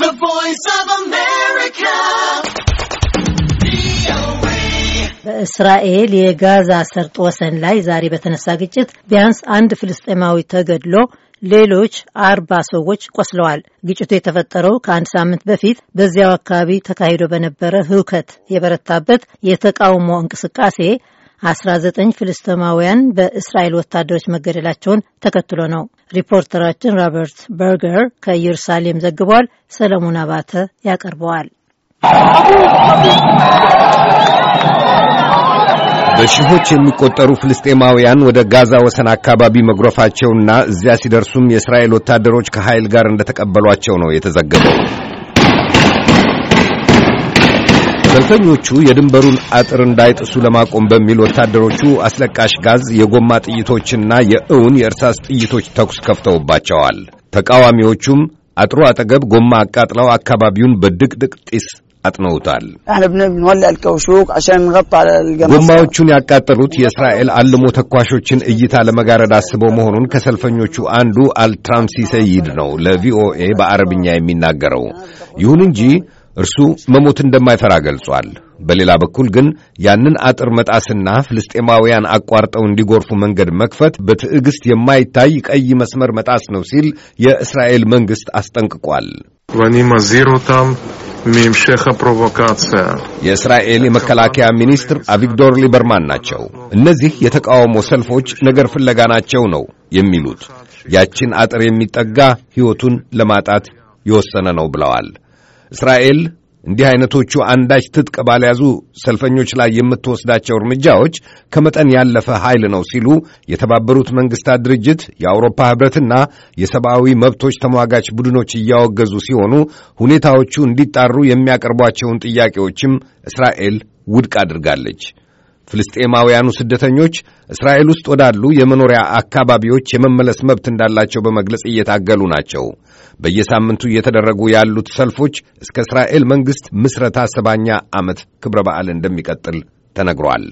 The Voice of America. በእስራኤል የጋዛ ሰርጥ ወሰን ላይ ዛሬ በተነሳ ግጭት ቢያንስ አንድ ፍልስጤማዊ ተገድሎ ሌሎች 40 ሰዎች ቆስለዋል። ግጭቱ የተፈጠረው ከአንድ ሳምንት በፊት በዚያው አካባቢ ተካሂዶ በነበረ ሁከት የበረታበት የተቃውሞ እንቅስቃሴ 19 ፍልስጤማውያን በእስራኤል ወታደሮች መገደላቸውን ተከትሎ ነው። ሪፖርተራችን ሮበርት በርገር ከኢየሩሳሌም ዘግቧል። ሰለሞን አባተ ያቀርበዋል። በሺዎች የሚቆጠሩ ፍልስጤማውያን ወደ ጋዛ ወሰን አካባቢ መግረፋቸውና እዚያ ሲደርሱም የእስራኤል ወታደሮች ከኃይል ጋር እንደተቀበሏቸው ነው የተዘገበው። ሰልፈኞቹ የድንበሩን አጥር እንዳይጥሱ ለማቆም በሚል ወታደሮቹ አስለቃሽ ጋዝ፣ የጎማ ጥይቶችና የእውን የእርሳስ ጥይቶች ተኩስ ከፍተውባቸዋል። ተቃዋሚዎቹም አጥሩ አጠገብ ጎማ አቃጥለው አካባቢውን በድቅድቅ ጢስ አጥነውታል። ጎማዎቹን ያቃጠሉት የእስራኤል አልሞ ተኳሾችን እይታ ለመጋረድ አስበው መሆኑን ከሰልፈኞቹ አንዱ አልትራምሲ ሰይድ ነው ለቪኦኤ በአረብኛ የሚናገረው። ይሁን እንጂ እርሱ መሞት እንደማይፈራ ገልጿል። በሌላ በኩል ግን ያንን አጥር መጣስና ፍልስጤማውያን አቋርጠው እንዲጎርፉ መንገድ መክፈት በትዕግስት የማይታይ ቀይ መስመር መጣስ ነው ሲል የእስራኤል መንግስት አስጠንቅቋል። የእስራኤል የመከላከያ ሚኒስትር አቪግዶር ሊበርማን ናቸው። እነዚህ የተቃውሞ ሰልፎች ነገር ፍለጋ ናቸው ነው የሚሉት። ያችን አጥር የሚጠጋ ሕይወቱን ለማጣት የወሰነ ነው ብለዋል። እስራኤል እንዲህ አይነቶቹ አንዳች ትጥቅ ባልያዙ ሰልፈኞች ላይ የምትወስዳቸው እርምጃዎች ከመጠን ያለፈ ኃይል ነው ሲሉ የተባበሩት መንግስታት ድርጅት፣ የአውሮፓ ህብረትና የሰብአዊ መብቶች ተሟጋች ቡድኖች እያወገዙ ሲሆኑ ሁኔታዎቹ እንዲጣሩ የሚያቀርቧቸውን ጥያቄዎችም እስራኤል ውድቅ አድርጋለች። ፍልስጤማውያኑ ስደተኞች እስራኤል ውስጥ ወዳሉ የመኖሪያ አካባቢዎች የመመለስ መብት እንዳላቸው በመግለጽ እየታገሉ ናቸው። በየሳምንቱ እየተደረጉ ያሉት ሰልፎች እስከ እስራኤል መንግስት ምስረታ 70ኛ ዓመት ክብረ በዓል እንደሚቀጥል ተነግሯል።